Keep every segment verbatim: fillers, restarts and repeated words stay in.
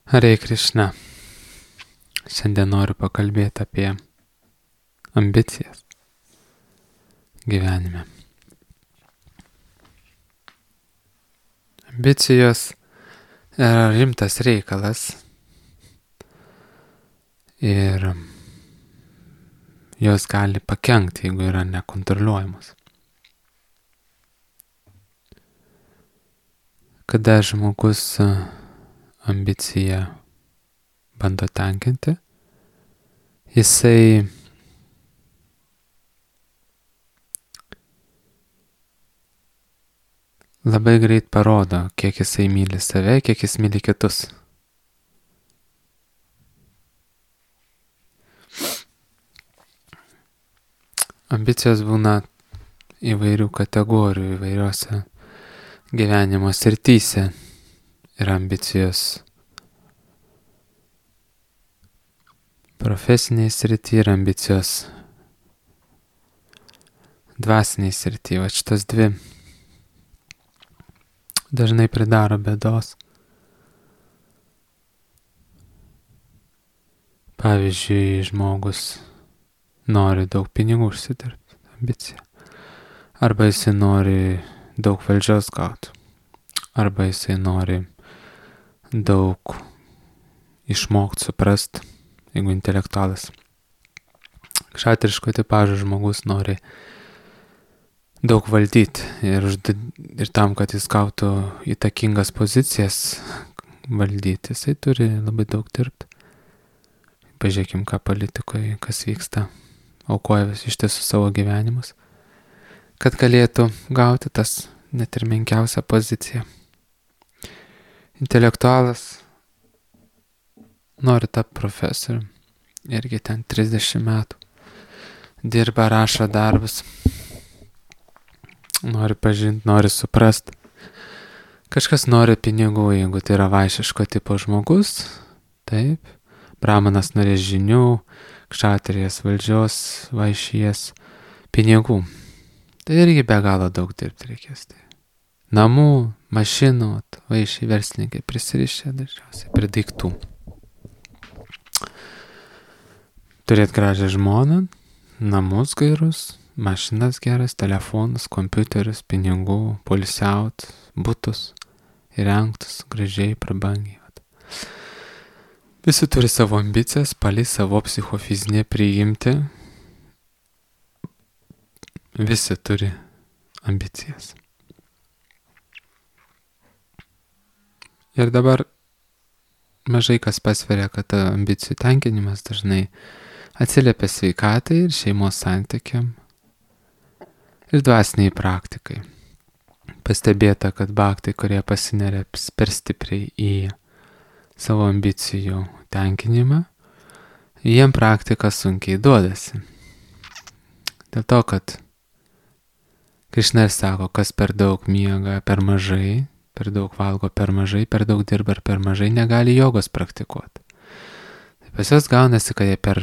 Hare Krishna. Šiandien noriu pakalbėti apie ambicijas gyvenime. Ambicijos yra rimtas reikalas ir jos gali pakenkti, jeigu yra nekontroliuojamos. Kada žmogus ambiciją bando tenkinti, jisai labai greit parodo, kiek jisai myli save, kiek jis myli kitus. Ambicijos būna įvairių kategorijų, įvairiose gyvenimo srityse. Yra ambicijos profesiniai srity ir ambicijos dvasiniai srity. Va šitas dvi dažnai pridaro bėdos. Pavyzdžiui, žmogus nori daug pinigų užsidirbti, ambicija. Arba jisai nori daug valdžios gauti. Arba jisai nori daug išmokti, suprast, jeigu intelektualas. Kšatriško tipažo žmogus nori daug valdyti ir, užd... ir tam, kad jis gautų įtakingas pozicijas valdyti, jisai turi labai daug dirbti. Pažiūrėkim, ką politikoje, kas vyksta, aukoja vis iš tiesų savo gyvenimus, kad galėtų gauti tas net ir menkiausią poziciją. Intelektualas nori tapti profesorium, irgi ten trisdešimt metų, dirba, rašo darbus, nori pažinti, nori suprast. Kažkas nori pinigų, jeigu tai yra vaišiško tipo žmogus, taip, brahmanas norės žinių, kšatrijas valdžios, vaišies, pinigų. Tai irgi be galo daug dirbti reikės. Tai. Namų, mašinų, vaišiai verslininkai prisirišę dažniausiai prie daiktų. Turėt gražią žmoną, namus gerus, mašinas geras, telefonus, kompiuterius, pinigų, poilsiaut, butus, įrengtus, gražiai, prabangiai. Visi turi savo ambicijas, palei savo psichofizinę priimti. Visi turi ambicijas. Ir dabar mažai kas pasveria, kad ambicijų tenkinimas dažnai atsiliepia sveikatai ir šeimos santykiam ir dvasiniai praktikai. Pastebėta, kad bhaktai, kurie pasineria per stipriai į savo ambicijų tenkinimą, jiem praktika sunkiai duodasi. Dėl to, kad Krišna sako, kas per daug miega, per mažai, per daug valgo, per mažai, per daug dirba ir per mažai, negali jogos praktikuoti. Tai pas juos gaunasi, kad jie per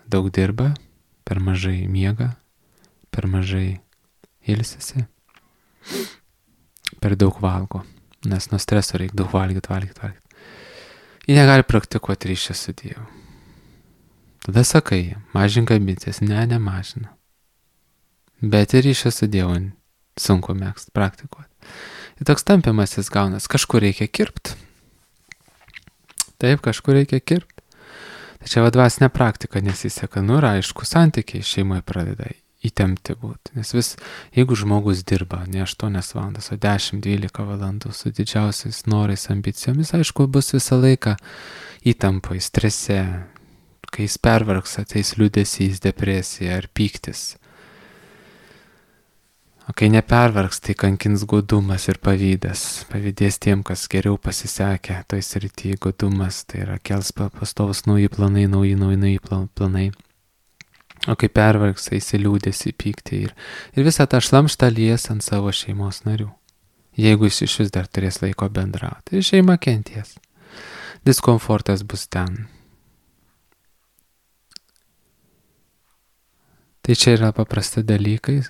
daug dirba, per mažai miega, per mažai ilsisi, per daug valgo, nes nuo streso reikia daug valgyti, valgyti, valgyti. Jie negali praktikuoti ryšį su Dievu. Tada sakai, mažink ambicijas, ne, nemažina. Bet ir ryšį su Dievu sunku mėgst praktikuoti. Ir toks tampimasis gaunas, kažkur reikia kirpti. Taip, kažkur reikia kirpti. Tačiau dvasinė praktika nesiseka, nu ir aišku, santykiai šeimoje pradeda įtempti būti. Nes vis, jeigu žmogus dirba ne aštuonias valandas, o dešimt dvylika valandų su didžiausiais norais, ambicijomis, aišku, bus visą laiką įtampai, strese, kai jis pervargs, ateis liūdesys, depresija ar pyktis. O kai nepervargs, tai kankins godumas ir pavydas. Pavydės tiem, kas geriau pasisekė toj srity. Godumas tai yra kels pastovus nauji planai, nauji, nauji, nauji planai. O kai pervargs, tai įsiliūdės į pyktį ir, ir visą tą šlamštą lies ant savo šeimos narių. Jeigu jis iš vis dar turės laiko bendrauti, tai šeima kenties. Diskomfortas bus ten. Tai čia yra paprasti dalykai.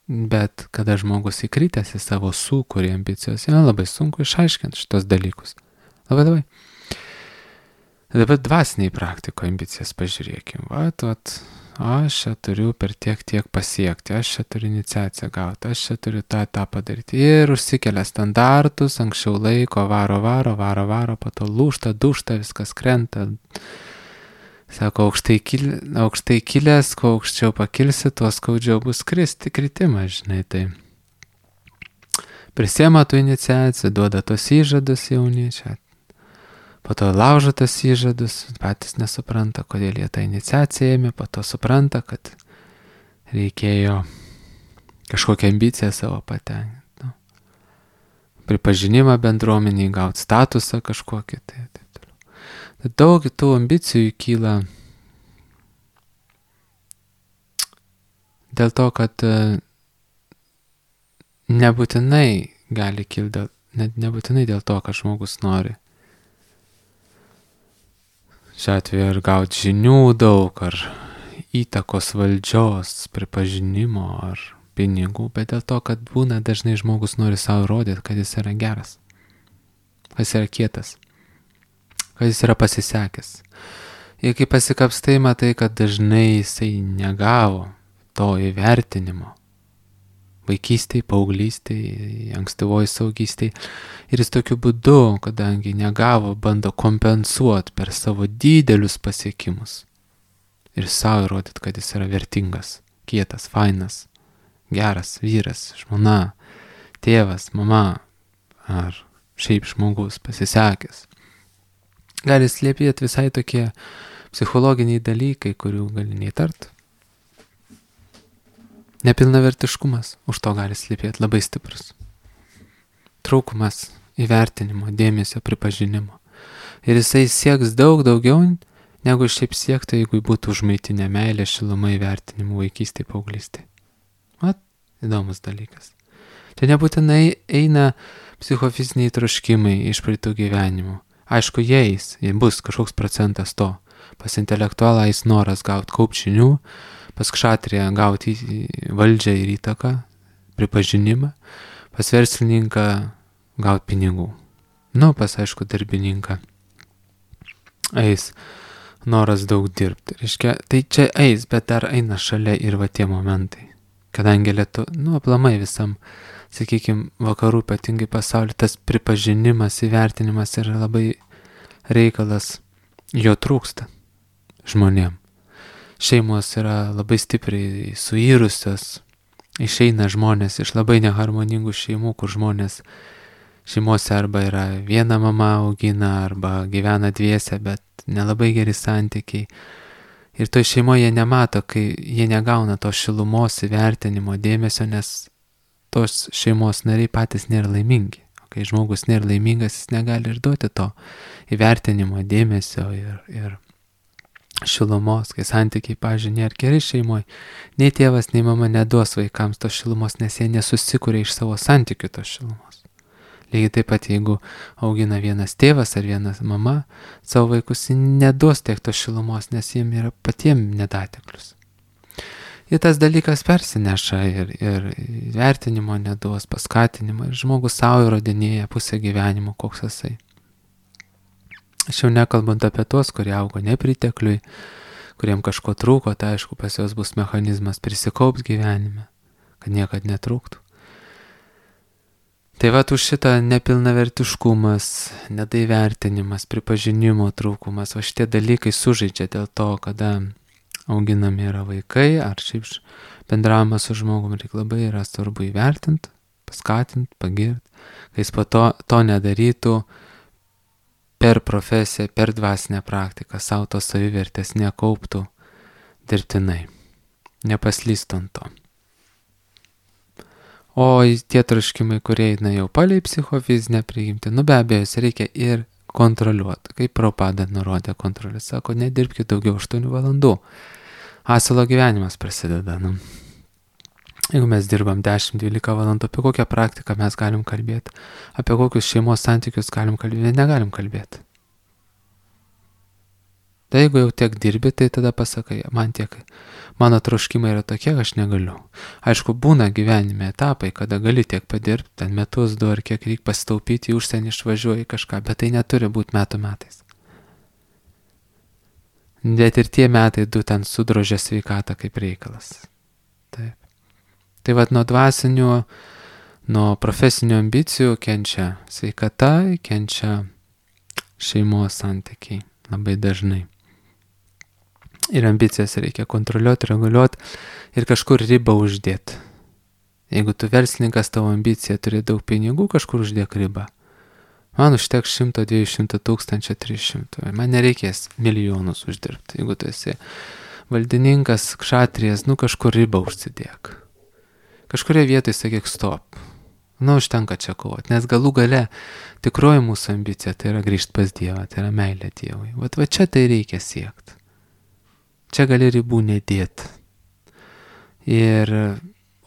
Bet kada žmogus įkritęs į savo sūkurį ambicijos, jam labai sunku išaiškinti šitos dalykus. Labai labai. Dabar dvasiniai praktikoje ambicijas pažiūrėkim. Vat, vat, aš čia turiu per tiek tiek pasiekti, aš čia turiu iniciaciją gauti, aš čia turiu tą tą padaryti. Ir užsikelia standartus, anksčiau laiko, varo, varo, varo, varo, po to lūžta, dušta, viskas krenta. Sako, aukštai, kil, aukštai kilęs, kuo aukščiau pakilsi, tuo skaudžiau bus kristi, kritimas, žinai, tai prisiema tų iniciacijų, duoda tos įžadus jauni, čia po to laužo tas įžadus, patys nesupranta, kodėl jie tą iniciaciją ėmė, po to supranta, kad reikėjo kažkokią ambiciją savo patenkinti. Nu, pripažinimą bendruomeniai, gauti statusą kažkokį, tai taip toliau. Daug tų ambicijų kyla dėl to, kad nebūtinai gali kilti, net nebūtinai dėl to, kad žmogus nori. Šiuo atveju ar gauti žinių daug, ar įtakos valdžios, pripažinimo, ar pinigų, bet dėl to, kad būna dažnai žmogus nori savo rodyti, kad jis yra geras, kad jis yra kietas, kad jis yra pasisekęs. Ir kai pasikapstai, matai, kad dažnai jisai negavo to įvertinimo. Vaikystėj, paauglystėj, ankstyvoj saugystėj. Ir jis tokiu būdu, kadangi negavo, bando kompensuoti per savo didelius pasiekimus. Ir savo įrodyti, kad jis yra vertingas, kietas, fainas, geras vyras, žmona, tėvas, mama ar šiaip žmogus pasisekęs. Gali slėpėti visai tokie psichologiniai dalykai, kurių gali neįtart. Nepilnavertiškumas už to gali slypėti labai stiprus. Trūkumas įvertinimo, dėmesio, pripažinimo. Ir jisai sieks daug daugiau, negu šiaip siektų, jeigu būtų užmaitinę meilę, šilumą, įvertinimu vaikystėje, paauglystėje. Vat, įdomus dalykas. Čia nebūtinai eina psichofiziniai troškimai iš praeitų gyvenimų. Aišku, jais, jei bus kažkoks procentas to. Pas intelektualą jis noras gauti kaupčinių, pas kšatriją gauti valdžią ir įtaką, pripažinimą, pas verslininką gauti pinigų. Nu, pas aišku darbininką eis noras daug dirbti. Reiškia, tai čia eis, bet dar eina šalia ir va tie momentai. Kadangi lietu, nu, aplamai visam, sakykime, vakarų, ypatingai pasaulyje, tas pripažinimas, įvertinimas yra labai reikalas, jo trūksta žmonėm. Šeimos yra labai stipriai suirusios, išeina žmonės iš labai neharmoningų šeimų, kur žmonės šeimose arba yra viena mama augina, arba gyvena dviese, bet nelabai geri santykiai. Ir toj šeimoje jie nemato, kai jie negauna to šilumos, įvertinimo, dėmesio, nes tos šeimos nariai patys nėra laimingi. O kai žmogus nėra laimingas, jis negali ir duoti to įvertinimo, dėmesio ir, ir šilumos, kai santykiai, pavyzdžiui, nėra geri šeimoje, nei tėvas, nei mama neduos vaikams tos šilumos, nes jie nesusikuria iš savo santykių tos šilumos. Lygiai taip pat, jeigu augina vienas tėvas ar vienas mama, savo vaikus neduos tiek tos šilumos, nes jiem yra patiem nedateklius. Ir tas dalykas persineša ir, ir vertinimo neduos, paskatinimo, ir žmogus savo įrodinėja pusę gyvenimo, koks jisai. Aš jau nekalbant apie tuos, kurie augo nepritekliui, kuriem kažko trūko, tai aišku, pas juos bus mechanizmas prisikaups gyvenime, kad niekad netrūktų. Tai va, už šitą nepilnavertiškumas, nedaivertinimas, pripažinimo trūkumas, va šitie dalykai sužaidžia dėl to, kada auginami yra vaikai, ar šiaip bendravimas su žmogumi reikia labai yra svarbu įvertinti, paskatinti, pagirti, kai jis po to, to nedarytų per profesiją, per dvasinę praktiką, savo tos savivertės nekauptų dirbtinai, nepaslystų ant to. O tie troškimai, kurie eina jau palei psichofizinę prigimtį, nu be abejo, reikia ir kontroliuoti. Kaip Prabhupada nurodė kontrolę, sako, nedirbkite daugiau aštuonių valandų. Asilo gyvenimas prasideda. Nu. Jeigu mes dirbam dešimt dvylika valandų, apie kokią praktiką mes galim kalbėti, apie kokius šeimos santykius galim kalbėti, negalim kalbėti. Tai jeigu jau tiek dirbi, tai tada pasakai, man tiek, mano troškimai yra tokie, aš negaliu. Aišku, būna gyvenime etapai, kada gali tiek padirbti, ten metus, du ar kiek reikia pasitaupyti, į užsienį išvažiuoji kažką, bet tai neturi būti metų metais. Bet ir tie metai du ten sudrožė sveikatą kaip reikalas. Taip. Tai vat nuo dvasinių, nuo profesinių ambicijų kenčia sveikata, kenčia šeimos santykiai labai dažnai. Ir ambicijas reikia kontroliuoti, reguliuoti ir kažkur ribą uždėti. Jeigu tu verslininkas, tavo ambicija turi daug pinigų, kažkur uždėk ribą. Man užteks šimto, dviejų šimtų tūkstančių, trijų šimtų. Man nereikės milijonus uždirbti. Jeigu tu esi valdininkas, kšatrijas, nu kažkur ribą užsidėk. Kažkurie vietoj sakyk stop. Nu, užtenka čia kovoti. Nes galų gale tikroji mūsų ambicija tai yra grįžti pas Dievą, tai yra meilė Dievui. Vat va čia tai reikia siekti. Čia gali ribų nedėti. Ir,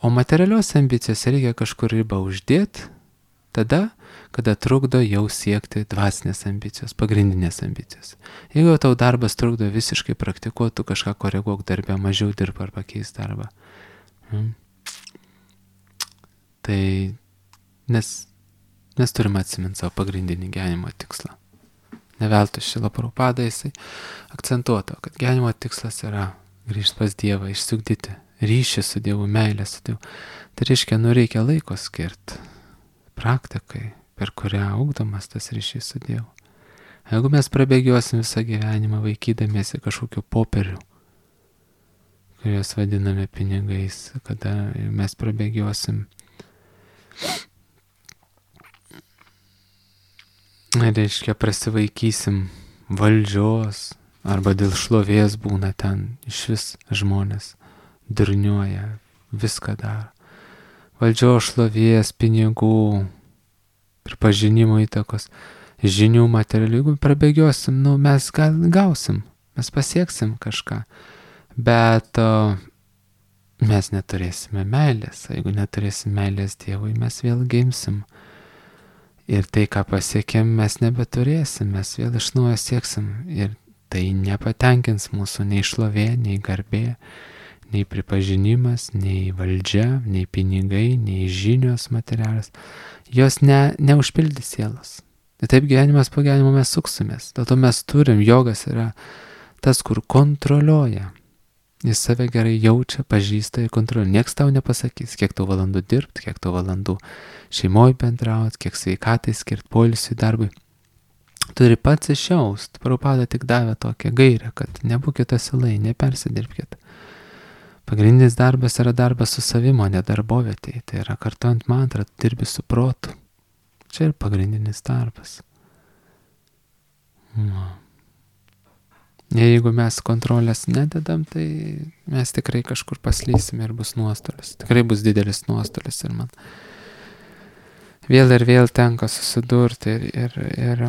o materialios ambicijos reikia kažkur ribą uždėti, tada, kada trukdo jau siekti dvasinės ambicijos, pagrindinės ambicijos. Jeigu tau darbas trukdo visiškai praktikuoti, tu kažką koreguok darbę, mažiau dirb ar pakeis darbą. Hmm. Tai nes mes turime atsiminti savo pagrindinį gyvenimo tikslą. Neveltui Šrila Prabhupada jisai akcentuoto, kad gyvenimo tikslas yra grįžti pas Dievą, išsiugdyti ryšį su Dievu, meilę su Dievu. Tai reiškia, nu reikia laiko skirti praktikai, per kurią ugdomas tas ryšys su Dievu. Jeigu mes prabėgiosim visą gyvenimą vaikydamiesi kažkokių popierių, kuriuos vadiname pinigais, kada mes prabėgiosim, reiškia, prasivaikysim valdžios, arba dėl šlovės būna ten iš vis žmonės durniuoja, viską daro. Valdžios, šlovės, pinigų, pripažinimo įtakos, žinių, materialių. Jeigu prabėgiosim, nu mes gal, gausim, mes pasieksim kažką, bet o, mes neturėsime meilės. Jeigu neturėsim meilės Dievui, mes vėl gimsim. Ir tai, ką pasiekėm, mes nebeturėsim, mes vėl iš naujo sieksim. Ir tai nepatenkins mūsų nei šlovė, nei garbė, nei pripažinimas, nei valdžia, nei pinigai, nei žinios materialios. Jos ne, neužpildys sielos. Ir taip gyvenimas po gyvenimo mes suksimės. Dėl to mes turim, jogas yra tas, kur kontroliuoja. Jis save gerai jaučia, pažįsta ir kontroliuoja. Niekas tau nepasakys, kiek tau valandų dirbti, kiek tau valandų šeimoje bendrauti, kiek sveikatai skirti, poilsiui, darbui. Turi pats išjaust. Prabhupada tik davė tokią gairę, kad nebūkite asilai, nepersidirbkite. Pagrindinis darbas yra darbas su savimo, ne darbovietėje. Tai yra kartuojant mantrą, dirbi su protu. Čia ir pagrindinis darbas. No. Jeigu mes kontrolės nededam, tai mes tikrai kažkur paslysim ir bus nuostolis. Tikrai bus didelis nuostolis ir man vėl ir vėl tenka susidurti ir, ir, ir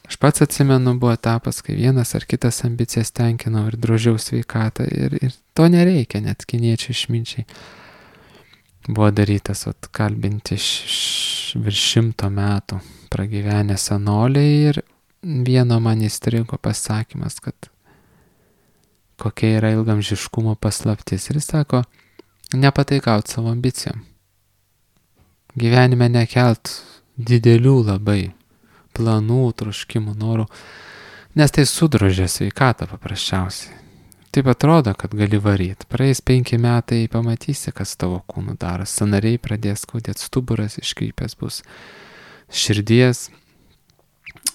aš pats atsimenu, buvo etapas, kai vienas ar kitas ambicijas tenkinau ir drožiau sveikatą ir, ir to nereikia, net kiniečiai išminčiai. Buvo darytas atkalbinti š, virš šimto metų pragyvenę senoliai ir vieno man įstrigo pasakymas, kad kokia yra ilgamžiškumo paslaptis. Ir jis sako, nepataikaut savo ambicijom. Gyvenime nekelt didelių labai planų, troškimų, norų, nes tai sudrožia sveikatą paprasčiausiai. Taip atrodo, kad gali varyti. Praeis penki metai, pamatysi, kas tavo kūnų daro. Sąnariai pradės skaudėti, stuburas iškrypęs bus, širdies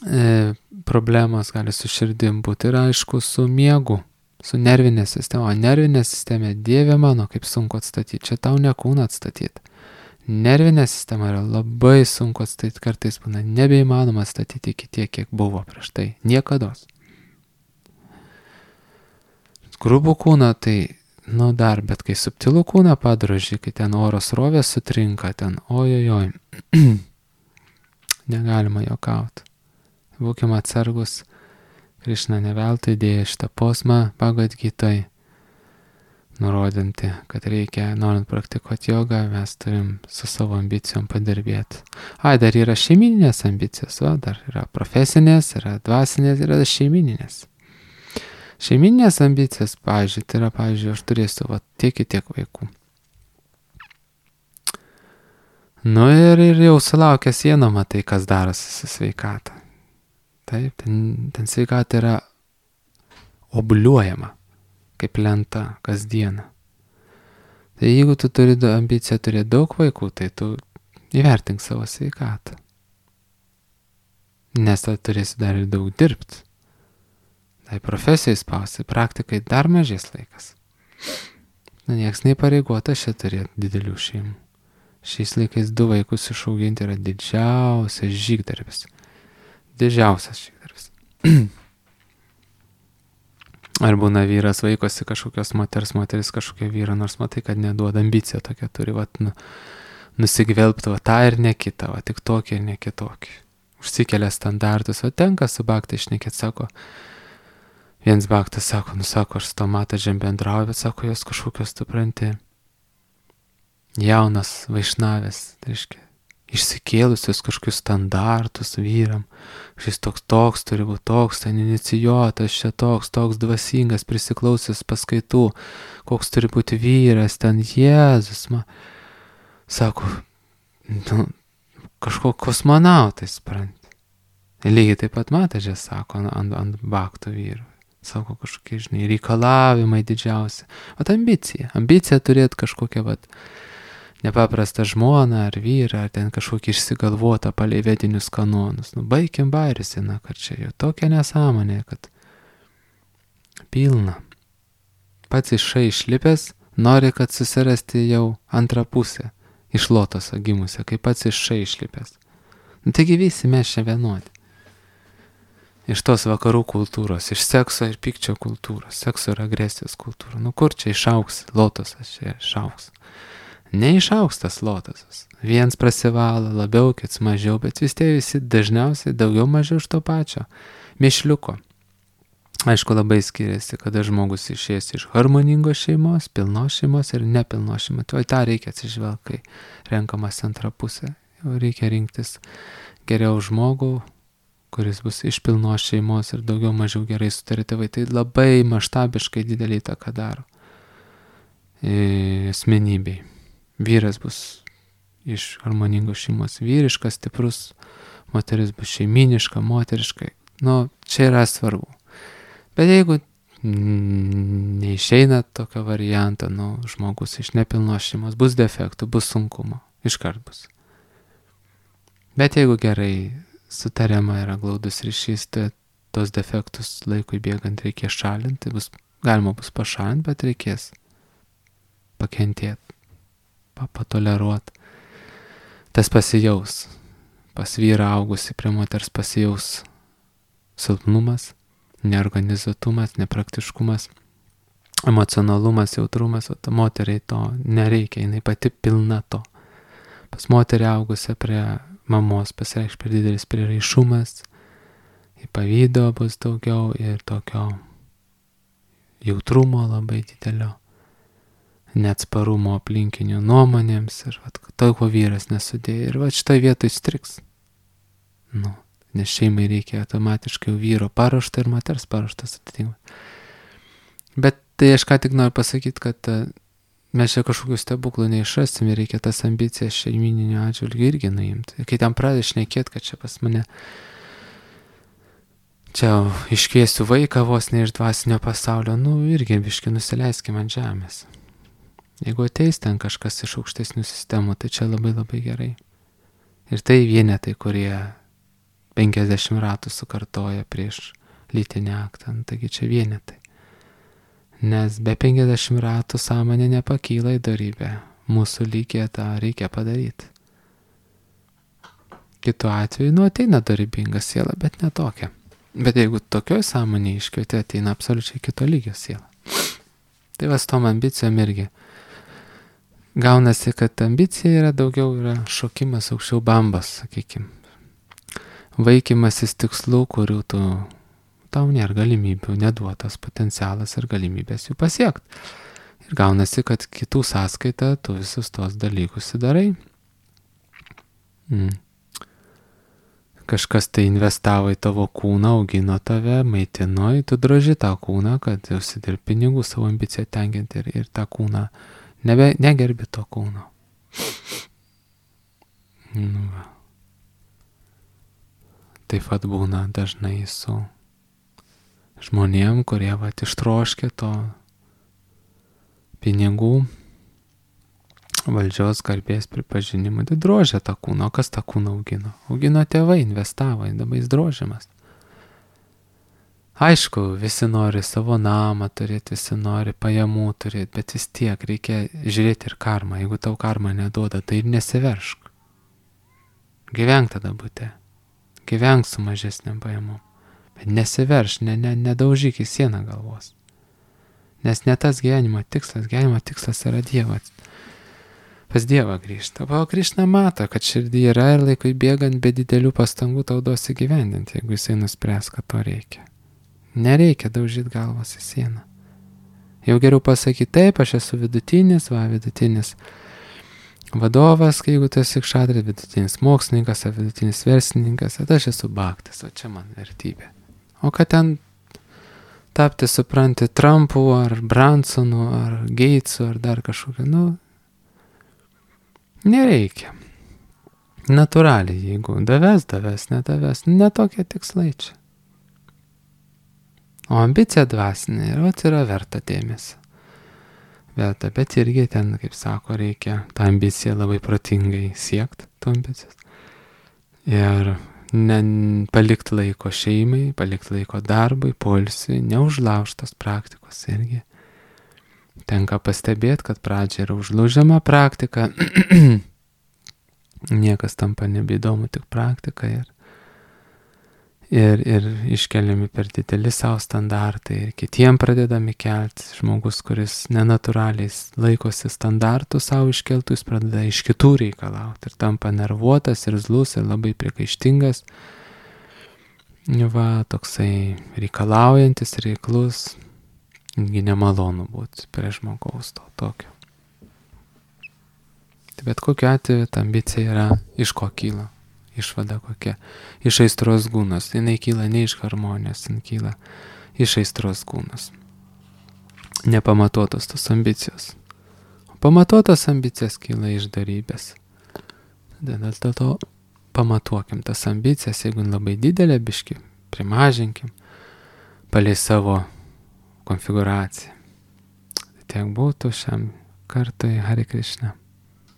e, problemos gali su širdim būti ir aišku su miegu, su nervinė sistema. O nervinė sistema, Dieve mano, kaip sunku atstatyti. Čia tau ne kūną atstatyti. Nervinė sistema yra labai sunku atstatyti, kartais būna nebeįmanoma atstatyti iki tiek, kiek buvo prieš tai. Niekados. Grubų kūną tai, nu dar, bet kai subtilų kūną padroži, kai ten oro srovė sutrinka, ten ojojoj, negalima jokauti. Būkime atsargus, Krišna neveltui dėjo šitą posmą Bhagavad Gitoj, nurodinti, kad reikia, norint praktikuoti jogą, mes turim su savo ambicijom padirbėti. Ai, dar yra šeimininės ambicijos, o, dar yra profesinės, yra dvasinės, yra šeimininės. Šeiminės ambicijos, pavyzdžiui, tai yra, pavyzdžiui, aš turėsiu va, tiek ir tiek vaikų. Nu ir, ir jau sulaukęs vieno matai, kas darosi su sveikata. Taip, ten, ten sveikata yra obliuojama, kaip lenta kasdieną. Tai jeigu tu turi ambiciją turėti daug vaikų, tai tu įvertink savo sveikatą. Nes tu turėsi dar ir daug dirbti. Tai profesijai spausti, praktikai dar mažės laikas. Na, nieks neįpareigota čia turėti didelių šeimų. Šiais laikais du vaikus išauginti yra didžiausias žygdarbis. Didžiausias žygdarbis. Ar būna vyras vaikosi kažkokios moters, moteris kažkokia vyra, nors matai, kad neduoda ambiciją tokia turi, vat, nu, nusigvelbti, va tą ir ne kitą, va tik tokį ir ne kitokį. Užsikelia standartus, o tenka su baktai šnekėt, sako, viens baktas sako, nu sako, aš su to matažėm bendrauju, bet sako, jos kažkokios, tu pranti, jaunas vaišnavės, tai reiškia, išsikėlusios kažkokius standartus vyram, šis toks toks turi būti toks, ten inicijuotas, čia toks, toks dvasingas, prisiklausęs paskaitų, koks turi būti vyras, ten Jėzus, man, sako, nu, kažko kosmonautai, supranti. Lygiai taip pat matažė, sako, ant, ant baktų vyrų. Sako, kažkokie, žinai, reikalavimai didžiausi. Vat ambicija. Ambicija turėti kažkokią, vat, nepaprastą žmoną ar vyrą, ar ten kažkokį išsigalvotą palei vedinius kanonus. Nu, baikim bairisiną, kad čia jau tokia nesąmonė, kad pilna. Pats iš šai išlipęs, nori, kad susirasti jau antrą pusę iš lotoso gimusią, kaip pats iš šai išlipęs. Nu, taigi visi mes čia vienodi. Iš tos vakarų kultūros, iš sekso ir pykčio kultūros, sekso ir agresijos kultūros. Nu, kur čia išaugs lotosas, čia išaugs. Neišaugs tas lotosas. Viens prasivalo labiau, kits mažiau, bet vis tie visi dažniausiai daugiau mažiau iš to pačio mišliuko. Aišku, labai skiriasi, kada žmogus išėjęs iš harmoningos šeimos, pilnos šeimos ir nepilnos šeimos. Tai tą reikia atsižvelgti, kai renkamas antrą pusę. Jau reikia rinktis geriau žmogų, kuris bus iš pilnos šeimos ir daugiau mažiau gerai sutarė tėvai. Tai labai maštabiškai didelį įtaką daro asmenybei. Vyras bus iš harmoningos šeimos vyriškas, stiprus, moteris bus šeiminiška, moteriškai. Nu, čia yra svarbu. Bet jeigu neišeina tokio varianto, nu, žmogus iš nepilnos šeimos, bus defektų, bus sunkumo, iškart bus. Bet jeigu gerai sutariama yra glaudus ryšys, tai tos defektus laikui bėgant reikės šalinti, tai bus, galima bus pašalinti, bet reikės pakentėti. Patoleruot. Tas pasijaus. Pas vyrą augusi prie moters pasijaus silpnumas, neorganizuotumas, nepraktiškumas, emocionalumas, jautrumas, o ta moteriai to nereikia, jinai pati pilna to. Pas moterį augusią prie mamos pasireikš per didelis prieraišumas, į pavydo bus daugiau ir tokio jautrumo labai didelio. Neatsparumo aplinkinių nuomonėms ir vat, to, ko vyras nesudėjo. Ir vat šitoj vietoj striks. Nu, nes šeimai reikia automatiškai vyro paruoštą ir moters paruoštas atitinkamai. Bet tai aš ką tik noriu pasakyti, kad mes čia kažkokių stebuklų neišrasim ir reikia tas ambicijas šeimininių atžvilgių irgi nuimti. Kai ten pradedi šnekėti, kad čia pas mane čia iškviesiu vaiką vos ne iš dvasinio pasaulio, nu irgi biškį nusileiskime ant žemės. Jeigu ateis ten kažkas iš aukštesnių sistemų, tai čia labai labai gerai. Ir tai vienetai, kurie penkiasdešimt ratų sukartoja prieš lytinį aktą, taigi čia vienetai. Nes be penkiasdešimt ratų sąmonė nepakyla į dorybę. Mūsų lygiai tą reikia padaryti. Kitu atveju, nu, ateina dorybinga siela, bet ne tokia. Bet jeigu tokioj sąmonė iškvietė, ateina absoliučiai kito lygio siela. Tai vas tom ambicijom irgi. Gaunasi, kad ambicija yra daugiau yra šokimas aukščiau bambos, sakykim. Vaikymasis tikslų, kurių tu, tau nėra galimybių, neduotas potencialas ir galimybės jų pasiekti. Ir gaunasi, kad kitų sąskaita tu visus tos dalykus įdarai. Mm. Kažkas tai investavo į tavo kūną, augino tave, maitino, tu droži tą kūną, kad užsidirbi pinigų savo ambiciją tenkinti ir, ir tą kūną nebe, negerbi to kūno. Nu, va. Taip pat būna dažnai su žmonėm, kurie vat ištroškė to pinigų, valdžios, garbės pripažinimo, tai drožė tą kūną. O kas tą kūną augino? Augino tėvai, investavo, dabar jis drožimas. Aišku, visi nori savo namą turėti, visi nori pajamų turėti, bet vis tiek reikia žiūrėti ir karmą. Jeigu tau karma neduoda, tai ir nesiveršk. Gyvenk tada bute. Gyvenk su mažesniam pajamom. Bet nesiverš, ne, ne, nedaužyk į sieną galvos. Nes ne tas gyvenimo tikslas, gyvenimo tikslas yra Dievas. Pas Dievą grįžta. O Krišna mato, kad širdį yra ir laikui bėgant be didelių pastangų tau duos įgyvendinti, jeigu jisai nuspręs, kad to reikia. Nereikia daužyti galvos į sieną. Jau geriau pasakyti, taip, aš esu vidutinis, va, vidutinis vadovas, kai jeigu tu esi kšatris, vidutinis mokslininkas, ar vidutinis verslininkas, tai aš esu bhaktas, o čia man vertybė. O kad ten tapti, supranti, Trumpu, ar Bransonu, ar Gatesu, ar dar kažkokiu, nu, nereikia. Natūraliai, jeigu daves, daves, nedaves, netokie tikslai čia. O ambicija dvasinė ir vat yra verta dėmesio. Verta, bet irgi ten, kaip sako, reikia tą ambiciją labai protingai siekti, tų ambicijos. Ir ne, palikti laiko šeimai, palikti laiko darbui, poilsiui, neužlaužtos praktikos irgi. Tenka pastebėti, kad pradžia yra užlaužiama praktika, niekas tampa nebeįdomu, tik praktika ir Ir, ir iškeliami per dideli savo standartai ir kitiem pradedami kelti. Žmogus, kuris nenatūraliai laikosi standartų savo iškeltų, jis pradeda iš kitų reikalauti ir tampa nervuotas ir zlus ir labai priekaištingas. Va, toksai reikalaujantis, reiklus, irgi nemalonu būti prie žmogaus to tokio. Tai bet kokiu atveju ta ambicija yra iš ko kyla. Išvada kokia. Iš aistros gūnos. Jinai kyla ne iš harmonijos, jinai kyla iš aistros gūnos. Nepamatuotos tos ambicijos. O pamatuotos ambicijos kyla iš darybės. Dėl to pamatuokim tas ambicijas, jeigu labai didelė biški, primažinkim, palei savo konfiguraciją. Tai tiek būtų šiam kartui. Hare Krishna.